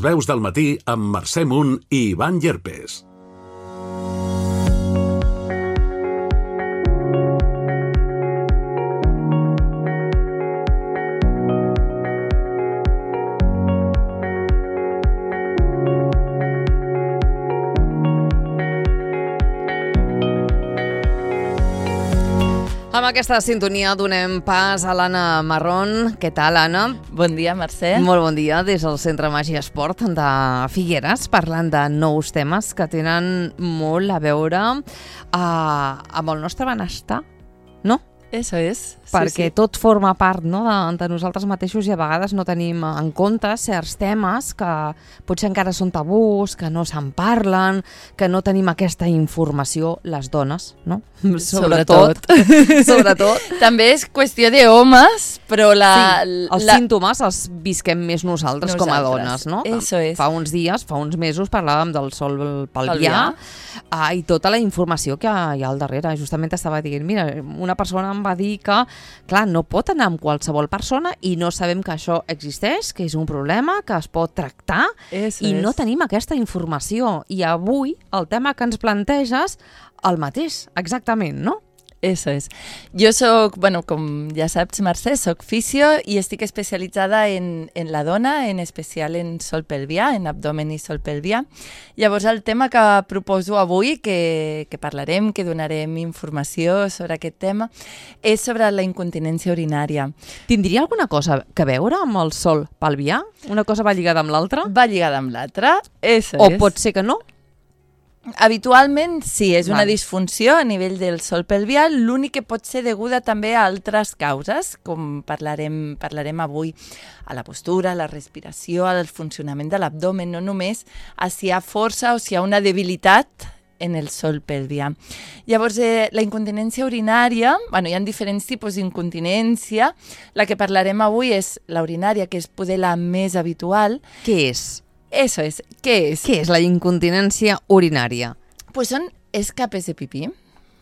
veus del matí amb Mercè Munt i Ivan Llerpes. Amb aquesta sintonia donem pas a l'Anna Marrón. Què tal, Anna? Bon dia, Mercè. Molt bon dia des del Centre Màgia Esport de Figueres, parlant de nous temes que tenen molt a veure amb el nostre benestar, no? Eso es. Perquè tot forma part, no, de nosaltres mateixos i a vegades no tenim en compte certs temes que potser encara són tabús, que no se'n parlen, que no tenim aquesta informació, les dones, no? Sobretot. També és qüestió d'homes, però els símptomes els visquem més nosaltres com a dones, no? Eso es. Fa uns dies, fa uns mesos, parlàvem del sol pelvià i tota la informació que hi ha al darrere. Justament estava dient, mira, una persona em va dir que, clar, no pot anar amb qualsevol persona i no sabem que això existeix, que és un problema, que es pot tractar no tenim aquesta informació. I avui el tema que ens planteges, el mateix, exactament, no? Eso es. Jo soc, com ja saps, Mercè, soc fisio i estic especialitzada en la dona, en especial en sol pelvià, en abdomen i sol pelvià. Llavors el tema que proposo avui, que parlarem, que donarem informació sobre aquest tema, és sobre la incontinència urinària. Tindria alguna cosa a veure amb el sol pelvià? Una cosa va lligada amb l'altra? Va lligada amb l'altra, eso és. O pot ser que no? Habitualment sí, és una disfunció a nivell del sol pelvià, l'únic que pot ser deguda també a altres causes, com parlarem avui, a la postura, a la respiració, al funcionament de l'abdomen, no només a si hi ha força o si hi ha una debilitat en el sol pelvià. Llavors, la incontinència urinària, hi ha diferents tipus d'incontinència, la que parlarem avui és la urinària, que és poder la més habitual. Què és? Eso es. ¿Qué es? ¿Qué es la incontinencia urinaria? Pues son escapes de pipí.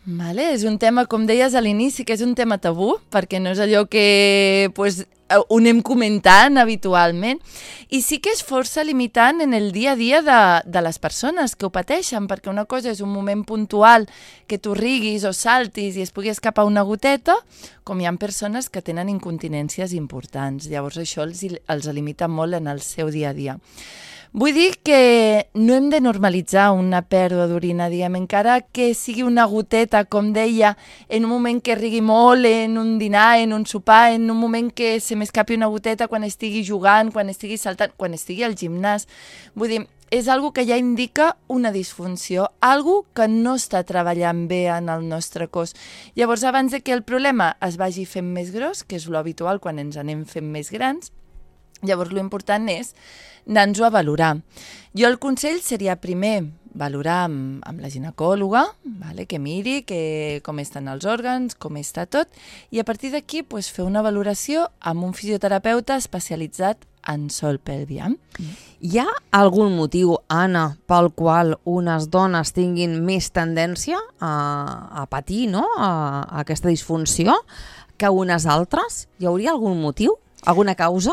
¿Vale? És un tema, com deies a l'inici, que és un tema tabú, perquè no és allò que ho anem comentant habitualment. I sí que és força limitant en el dia a dia de les persones que ho pateixen, perquè una cosa és un moment puntual que tu riguis o saltis i es pugui escapar una goteta, com hi ha persones que tenen incontinències importants. Llavors això els limita molt en el seu dia a dia. Vull dir que no hem de normalitzar una pèrdua d'orina, diguem, encara que sigui una goteta, com deia, en un moment que rigui molt, en un dinar, en un sopar, en un moment que se m'escapi una goteta quan estigui jugant, quan estigui saltant, quan estigui al gimnàs. Vull dir, és algo que ja indica una disfunció, algo que no està treballant bé en el nostre cos. Llavors, abans que el problema es vagi fent més gros, que és l'habitual quan ens anem fent més grans, llavors l'important és anar-nos-ho a valorar. Jo el consell seria primer valorar amb la ginecòloga, que miri com estan els òrgans, com està tot, i a partir d'aquí fer una valoració amb un fisioterapeuta especialitzat en sol pelvià. Hi ha algun motiu, Anna, pel qual unes dones tinguin més tendència a patir, no?, a aquesta disfunció que unes altres? Hi hauria algun motiu? Alguna causa?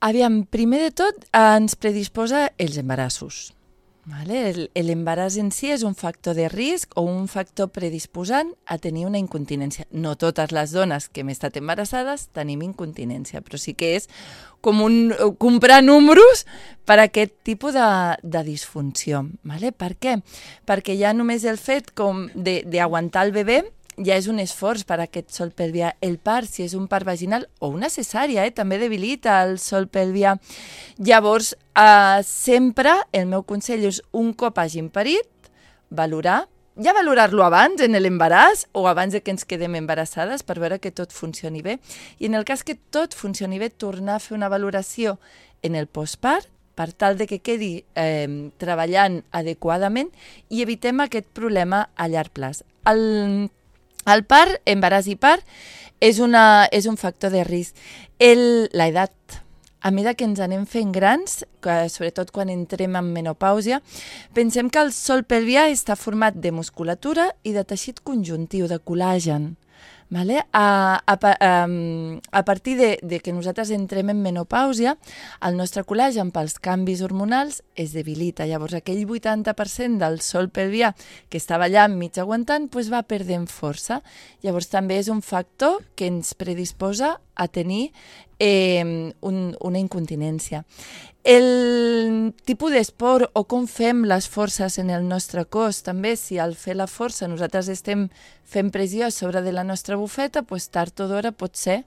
Aviam, primer de tot ens predisposa els embarassos. L'embaràs en si és un factor de risc o un factor predisposant a tenir una incontinència. No totes les dones que hem estat embarassades tenim incontinència, però sí que és com comprar números per a aquest tipus de disfunció. Per què? Perquè ja només el fet d'aguantar el bebè ja és un esforç per a aquest sol pelvià. El part, si és un part vaginal o una cesària, també debilita el sol pelvià. Llavors, sempre el meu consell és, un cop hagin parit, valorar-lo abans, en l'embaràs, o abans que ens quedem embarassades, per veure que tot funcioni bé. I en el cas que tot funcioni bé, tornar a fer una valoració en el postpart, per tal de que quedi treballant adequadament i evitem aquest problema a llarg plaç. El part, embaràs i part, és un factor de risc. L'edat, a mesura que ens anem fent grans, sobretot quan entrem en menopàusia, pensem que el sol pelvià està format de musculatura i de teixit conjuntiu, de col·làgen. Vale? A partir de que nosaltres entrem en menopàusia, el nostre col·lagen pels canvis hormonals es debilita. Llavors aquell 80% del sòl pelvià que estava allà mig aguantant va perdent força. Llavors també és un factor que ens predisposa a tenir una incontinència. El tipus d'esport o com fem les forces en el nostre cos, també si al fer la força nosaltres estem fent pressió sobre de la nostra bufeta, tard o d'hora pot ser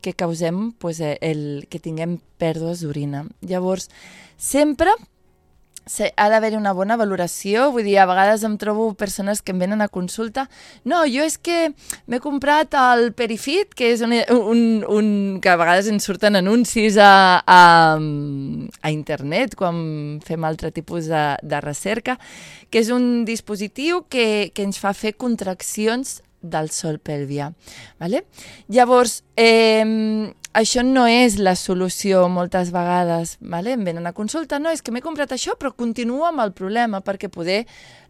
que causem que tinguem pèrdues d'orina. Llavors, sempre ha d'haver una bona valoració, vull dir, a vegades em trobo persones que em venen a consulta, no, jo és que m'he comprat el Perifit, que és que a vegades ens surten anuncis a internet quan fem altre tipus de recerca, que és un dispositiu que ens fa fer contraccions del sòl pelvià. Vale? Llavors, això no és la solució moltes vegades. Vale? Em venen a consulta, no, és que m'he comprat això, però continuo amb el problema, perquè poder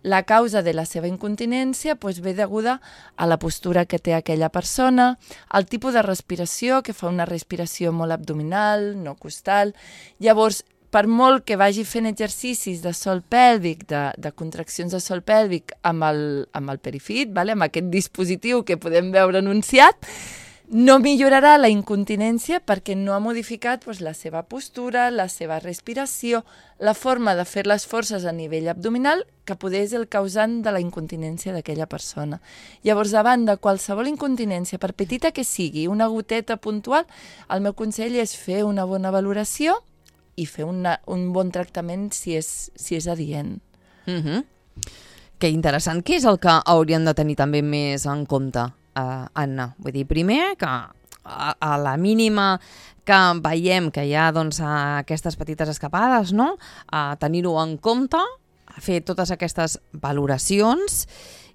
la causa de la seva incontinència ve deguda a la postura que té aquella persona, al tipus de respiració, que fa una respiració molt abdominal, no costal. Llavors, per molt que vagi fent exercicis de sòl pèlvic, de contraccions de sòl pèlvic amb el Perifit, vale? Amb aquest dispositiu que podem veure anunciat, no millorarà la incontinència perquè no ha modificat la seva postura, la seva respiració, la forma de fer les forces a nivell abdominal, que poder és el causant de la incontinència d'aquella persona. Llavors, davant de qualsevol incontinència, per petita que sigui, una goteta puntual, el meu consell és fer una bona valoració i fer un bon tractament si és adient. Que interessant. Què és el que haurien de tenir també més en compte, Anna? Vull dir, primer, que a la mínima que veiem que hi ha aquestes petites escapades, no? A tenir-ho en compte, a fer totes aquestes valoracions.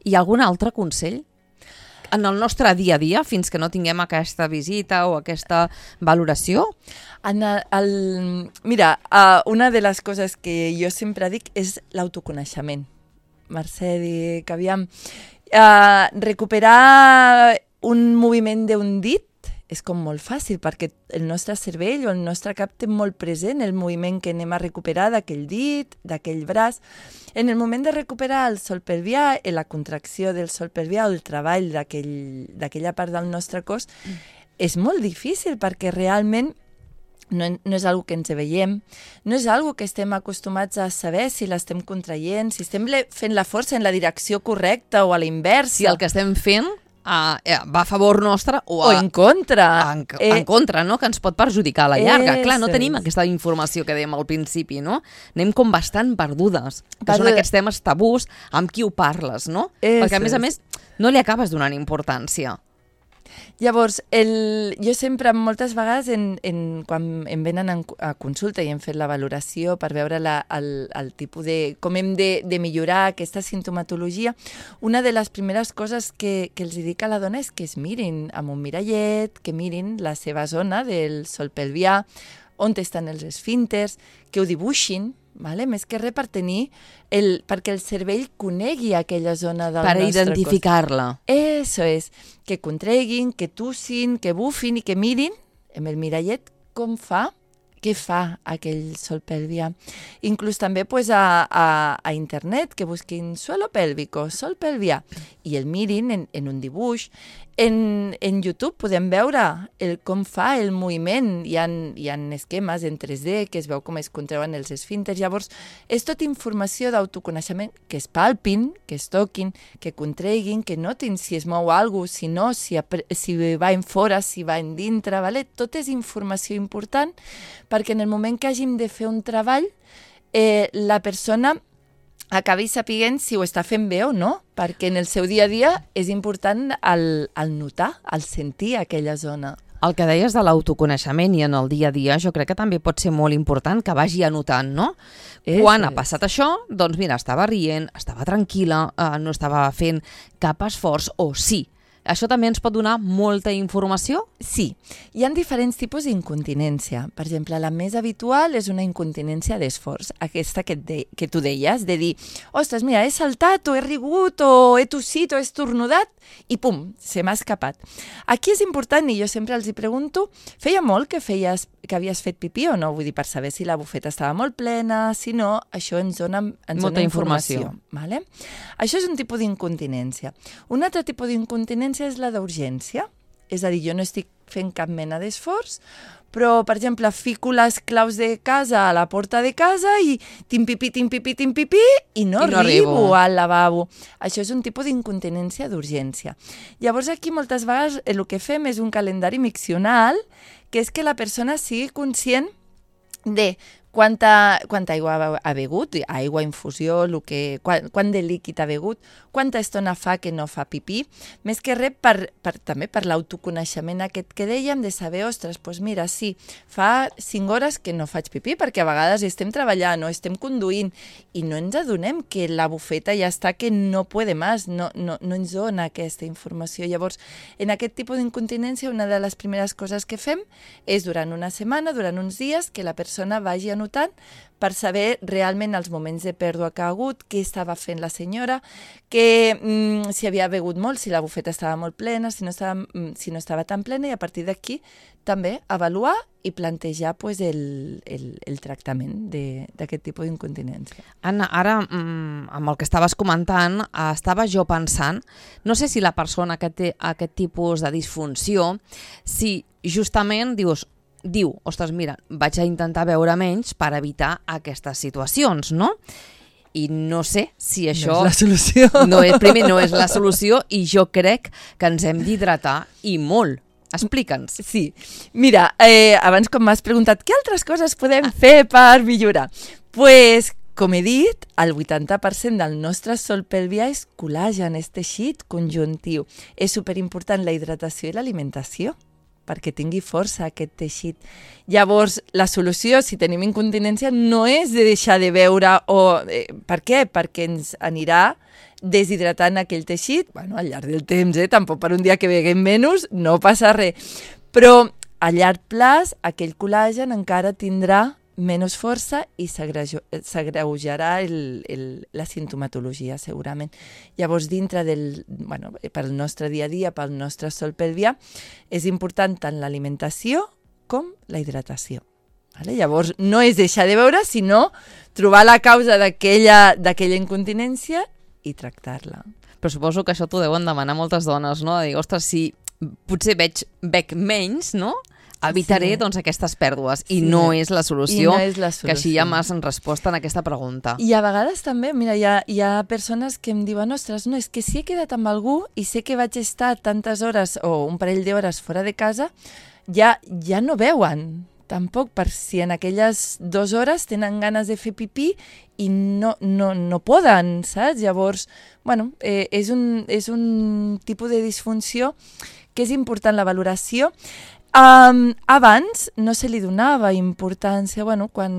I algun altre consell? En el nostre dia a dia, fins que no tinguem aquesta visita o aquesta valoració? Mira, una de les coses que jo sempre dic és l'autoconeixement. Mercè, dic, aviam, recuperar un moviment d'un dit és com molt fàcil, perquè el nostre cervell o el nostre cap té molt present el moviment que anem a recuperar d'aquell dit, d'aquell braç. En el moment de recuperar el sòl pelvià, la contracció del sòl pelvià o el treball d'aquella part del nostre cos, és molt difícil perquè realment no és una que ens veiem, no és una que estem acostumats a saber si l'estem contraient, si estem fent la força en la direcció correcta o a la inversa. Si el que estem fent va a favor nostre o en contra. En contra, no? Que ens pot perjudicar a la llarga. Clar, no tenim aquesta informació que dèiem al principi, no? Anem com bastant perdudes. Que són aquests temes tabús amb qui ho parles, no? Perquè, a més, no li acabes donant importància. Llavors, jo sempre, moltes vegades, quan em venen a consulta i hem fet la valoració per veure el tipus de com hem de millorar aquesta sintomatologia, una de les primeres coses que els dic a la dona és que es mirin amb un mirallet, que mirin la seva zona del sòl pelvià, on estan els esfínters, que ho dibuixin, vale? Més que res per tenir perquè el cervell conegui aquella zona del nostre cos. Per identificar-la. Eso és, que contraiguin, que tussin, que bufin i que mirin amb el mirallet què fa aquell sòl pelvià. Inclús també a internet, que busquin suelo pélvico, sòl pelvià, i el mirin en un dibuix. En YouTube podem veure com fa el moviment. Hi ha esquemes en 3D que es veu com es contrauen els esfínters. Llavors, és tota informació d'autoconeixement, que es palpin, que es toquin, que contraiguin, que notin si es mou alguna cosa, si no, si va en fora, si va en dintre. Vale? Tot és informació important perquè en el moment que hàgim de fer un treball, la persona acabi sapiguent si ho està fent bé o no, perquè en el seu dia a dia és important el notar, el sentir aquella zona. El que deies de l'autoconeixement i en el dia a dia, jo crec que també pot ser molt important que vagi anotant, no? Quan ha passat això, doncs mira, estava rient, estava tranquil·la, no estava fent cap esforç, o sí, Això també ens pot donar molta informació? Sí, hi ha diferents tipus d'incontinència. Per exemple, la més habitual és una incontinència d'esforç, aquesta que tu deies, de dir, ostres, mira, he saltat, o he rigut, o he tossit, o he estornudat, i pum, se m'ha escapat. Aquí és important, i jo sempre els hi pregunto, feia molt que havies fet pipí o no? Vull dir, per saber si la bufeta estava molt plena, si no, això ens dona informació. Vale? Això és un tipus d'incontinència. Un altre tipus d'incontinència és la d'urgència. És a dir, jo no estic fent cap mena d'esforç, però, per exemple, fico les claus de casa a la porta de casa i tim-pipí, i no arribo al lavabo. Això és un tipus d'incontinència d'urgència. Llavors, aquí moltes vegades el que fem és un calendari miccional, que és que la persona sigui conscient de quanta aigua ha begut, aigua, infusió, quant de líquid ha begut, quanta estona fa que no fa pipí, més que res també per l'autoconeixement aquest que dèiem, de saber, ostres, doncs mira, sí, fa 5 hores que no faig pipí, perquè a vegades estem treballant o estem conduint i no ens adonem que la bufeta ja està que no puede més, no ens dona aquesta informació. Llavors, en aquest tipus d'incontinència, una de les primeres coses que fem és durant una setmana, durant uns dies, que la persona vagi anotant per saber realment els moments de pèrdua que ha hagut, què estava fent la senyora, si havia begut molt, si la bufeta estava molt plena, si no estava tan plena, i a partir d'aquí també avaluar i plantejar el tractament d'aquest tipus d'incontinència. Anna, ara, amb el que estaves comentant, estava jo pensant, no sé si la persona que té aquest tipus de disfunció, si justament diu, ostres, mira, vaig a intentar beure menys per evitar aquestes situacions, no? I no sé si això... No és la solució. Primer, no és la solució, i jo crec que ens hem d'hidratar i molt. Explica'ns. Sí. Mira, abans com m'has preguntat què altres coses podem fer per millorar? Pues, com he dit, el 80% del nostre sòl pelvià és col·làgen, és teixit conjuntiu. És superimportant la hidratació i l'alimentació, perquè tingui força aquest teixit. Llavors, la solució, si tenim incontinència, no és de deixar de beure per què? Perquè ens anirà deshidratant aquell teixit, al llarg del temps, tampoc per un dia que beguem menys, no passa res. Però a llarg plaç, aquell col·làgen encara tindrà menys força i s'agreujarà la sintomatologia, segurament. Llavors, dintre pel nostre dia a dia, pel nostre sòl pelvià, és important tant l'alimentació com la hidratació. Llavors, no és deixar de beure, sinó trobar la causa d'aquella incontinència i tractar-la. Però suposo que això t'ho deuen demanar moltes dones, no? De dir, ostres, si potser bec menys, no?, evitaré aquestes pèrdues, i no és la solució, que així ja m'has respost en aquesta pregunta. I a vegades també, mira, hi ha persones que em diuen, ostres, no, és que si he quedat amb algú i sé que vaig estar tantes hores o un parell d'hores fora de casa, ja no beuen, tampoc, per si en aquelles 2 hores tenen ganes de fer pipí i no poden, saps? Llavors, és un tipus de disfunció que és important la valoració. Abans no se li donava importància, quan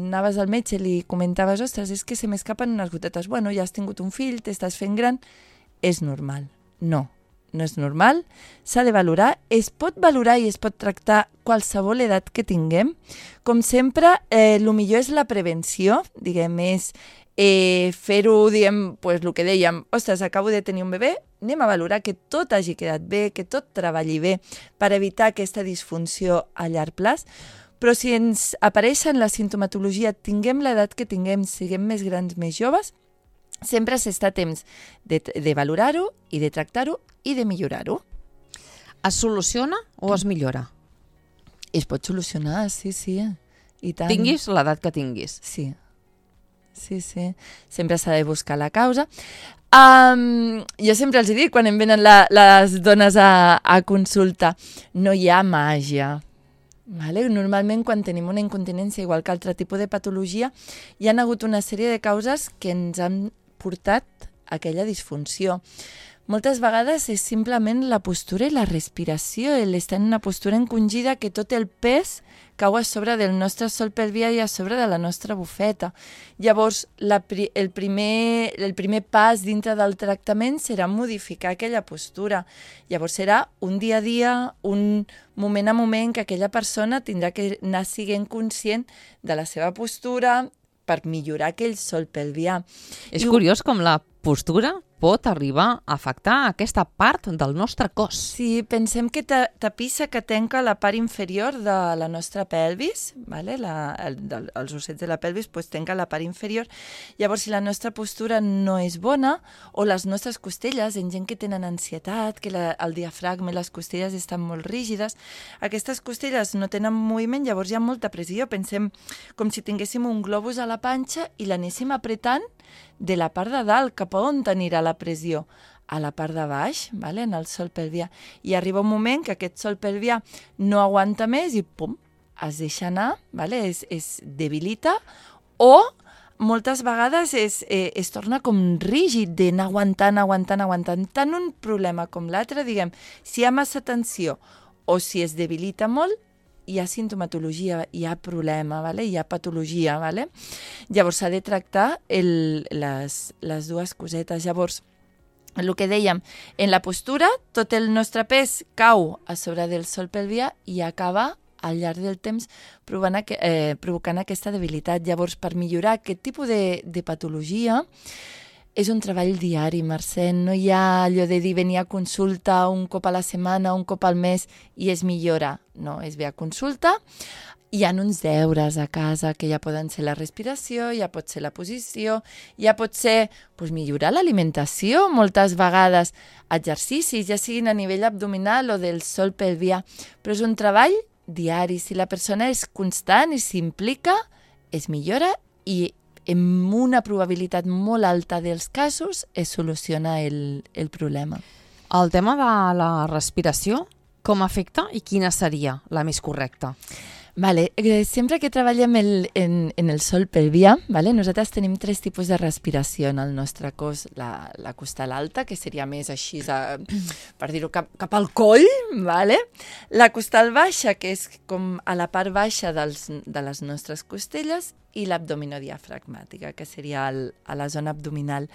anaves al metge li comentaves, ostres, és que se m'escapen unes gotetes, ja has tingut un fill, t'estàs fent gran, és normal. No és normal, s'ha de valorar, es pot valorar i es pot tractar qualsevol edat que tinguem. Com sempre, el millor és la prevenció, diguem, és fer-ho, diguem, el que dèiem, ostres, acabo de tenir un bebè, anem a valorar que tot hagi quedat bé, que tot treballi bé per evitar aquesta disfunció a llarg plaç, però si ens apareixen la sintomatologia, tinguem l'edat que tinguem, siguem més grans, més joves, sempre s'està a temps de valorar-ho i de tractar-ho i de millorar-ho. Es soluciona o es millora? Es pot solucionar, sí. I tant. Tinguis l'edat que tinguis. Sí. Sempre s'ha de buscar la causa. Jo sempre els dic, quan em venen les dones a consulta, no hi ha màgia. Normalment, quan tenim una incontinència, igual que altre tipus de patologia, hi ha hagut una sèrie de causes que ens han portat a aquella disfunció. moltes vegades és simplement la postura i la respiració, l'estar en una postura encongida que tot el pes cau a sobre del nostre sol pelvià i a sobre de la nostra bufeta. Llavors, el primer pas dintre del tractament serà modificar aquella postura. Llavors serà un dia a dia, un moment a moment que aquella persona tindrà que anar sent conscient de la seva postura per millorar aquell sol pelvià. És curiós com la postura pot arribar a afectar aquesta part del nostre cos. Sí, pensem que tapissa que tanca la part inferior de la nostra pelvis, vale? Els ossets de la pelvis tanca la part inferior. Llavors, si la nostra postura no és bona, o les nostres costelles, en gent que tenen ansietat, que el diafragma i les costelles estan molt rígides, aquestes costelles no tenen moviment, llavors hi ha molta pressió. Pensem com si tinguéssim un globus a la panxa i l'anéssim apretant de la part de dalt, cap a on anirà la pressió? A la part de baix, vale? En el sol pelvià. I arriba un moment que aquest sol pelvià no aguanta més i pum, es deixa anar, vale? Es debilita, o moltes vegades es torna com rígid d'anar aguantant. Tant un problema com l'altre, diguem, si hi ha massa tensió o si es debilita molt, hi ha sintomatologia, hi ha problema, vale? Hi ha patologia. Vale? Llavors s'ha de tractar les dues cosetes. Llavors, el que dèiem, en la postura tot el nostre pes cau a sobre del sol pelvià i acaba al llarg del temps provocant aquesta debilitat. Llavors, per millorar aquest tipus de patologia, és un treball diari, Mercè. No hi ha allò de dir venir a consulta un cop a la setmana, un cop al mes i es millora. No, es ve a consulta. Hi ha uns deures a casa que ja poden ser la respiració, ja pot ser la posició, ja pot ser millorar l'alimentació, moltes vegades exercicis, ja siguin a nivell abdominal o del sol pelvià. Però és un treball diari. Si la persona és constant i s'implica, es millora i amb una probabilitat molt alta dels casos es soluciona el problema. El tema de la respiració, com afecta i quina seria la més correcta? Vale. Sempre que treballem en el sol pelvià, vale? Nosaltres tenim 3 tipus de respiració en el nostre cos. La costal alta, que seria més així, per dir-ho, cap al coll, vale? La costal baixa, que és com a la part baixa de les nostres costelles, i l'abdominodiafragmàtica, que seria a la zona abdominal.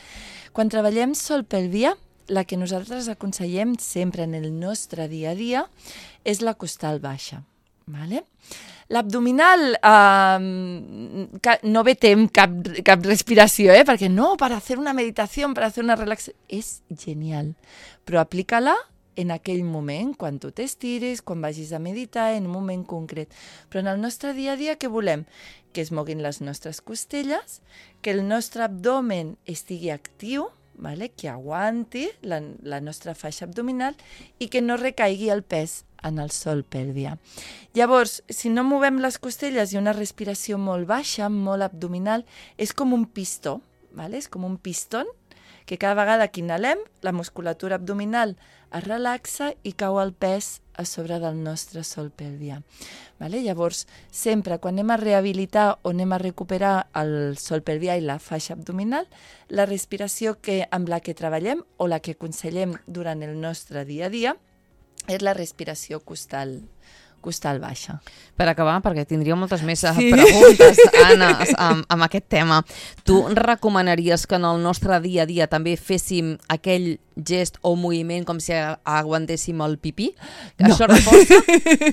Quan treballem sol pelvià, la que nosaltres aconsellem sempre en el nostre dia a dia és la costal baixa. Vale? L'abdominal no vetem cap respiració, perquè no, per fer una meditació, per fer una relaxació, és genial, però aplica-la en aquell moment, quan tu t'estires, quan vagis a meditar, en un moment concret. Però en el nostre dia a dia què volem? Que es moguin les nostres costelles, que el nostre abdomen estigui actiu, vale? Que aguanti la nostra faixa abdominal i que no recaigui el pes en el sol pelvià. Llavors, si no movem les costelles i una respiració molt baixa, molt abdominal, és com un pistó, vale? És com un pistó que cada vegada que inhalem, la musculatura abdominal es relaxa i cau el pes a sobre del nostre sol pelvià. Vale? Llavors, sempre quan anem a rehabilitar o anem a recuperar el sol pelvià i la faixa abdominal, la respiració amb la que treballem o la que aconsellem durant el nostre dia a dia és la respiració costal baixa. Per acabar, perquè tindria moltes més preguntes, Anna, amb aquest tema. Tu recomanaries que en el nostre dia a dia també féssim aquell gest o moviment com si aguantéssim el pipí? No. Això reforça?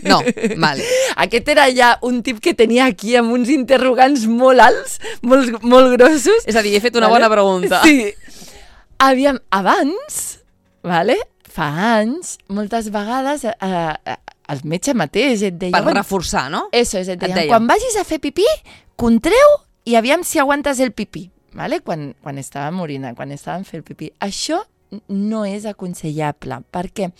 No, vale. Aquest era ja un tip que tenia aquí amb uns interrogants molt alts, molt grossos. És a dir, he fet una bona pregunta. Sí. Aviam, abans, fa anys, moltes vegades el metge mateix et deia... Per reforçar, no? Eso és, et deia, quan vagis a fer pipí, contreu i aviam si aguantes el pipí, vale? Quan estàvem orinant, quan estàvem fent pipí. Això no és aconsellable, perquè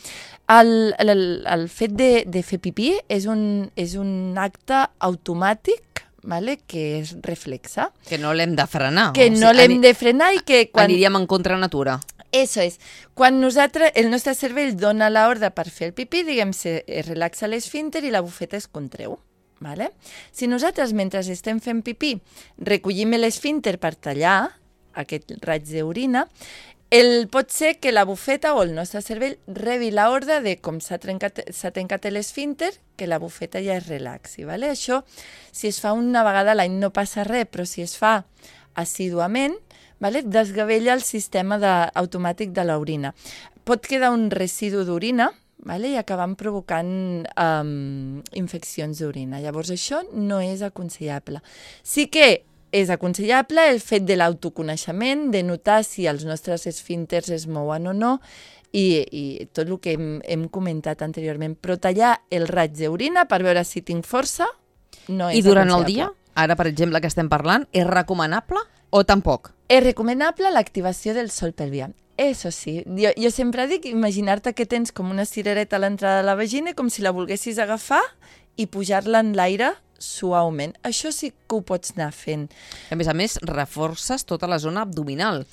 el fet de fer pipí és un acte automàtic, vale? Que és reflexa. Que no l'hem de frenar. Que no l'hem de frenar i que... Aniríem en contra natura. Eso és. Quan el nostre cervell dona l'ordre per fer el pipí, diguem-se, es relaxa l'esfínter i la bufeta es contreu. Vale? Si nosaltres, mentre estem fent pipí, recollim l'esfínter per tallar aquest raig d'orina, Pot ser que la bufeta o el nostre cervell rebi l'ordre de com s'ha tancat l'esfínter, que la bufeta ja es relaxi. Vale? Això, si es fa una vegada a l'any no passa res, però si es fa assíduament, vale? Desgavella el sistema automàtic de l'orina. Pot quedar un residu d'orina, vale? I acabant provocant infeccions d'orina. Llavors això no és aconsellable. Sí que és aconsellable el fet de l'autoconeixement, de notar si els nostres esfínters es mouen o no i tot el que hem comentat anteriorment. Però tallar el raig d'orina per veure si tinc força no és aconsellable. I durant el dia, ara per exemple que estem parlant, és recomanable o tampoc? És recomanable l'activació del sol pelvià. Eso sí, jo sempre dic imaginar-te que tens com una cirereta a l'entrada de la vagina com si la volguessis agafar i pujar-la en l'aire suaument. Això sí que ho pots anar fent. A més, reforces tota la zona abdominal.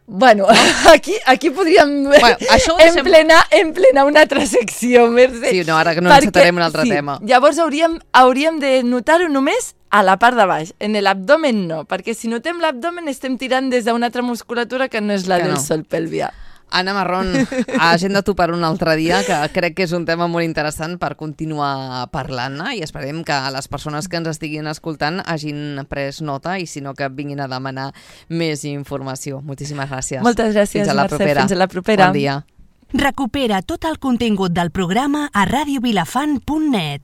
Bueno, aquí podríem emplenar una altra secció, Mercè. Sí, no, ara que no encetarem un altre tema. Llavors hauríem de notar-ho només a la part de baix, en l'abdomen no, perquè si notem l'abdomen estem tirant des d'una altra musculatura que no és la del sol pelvià. Anna Marrón, agenda-t'ho per un altre dia, que crec que és un tema molt interessant per continuar parlant-ne i esperem que les persones que ens estiguin escoltant hagin pres nota i si no que vinguin a demanar més informació. Moltíssimes gràcies. Moltes gràcies, Mercè. Fins a la propera. Bon dia. Recupera tot el contingut del programa a radiovilafant.net.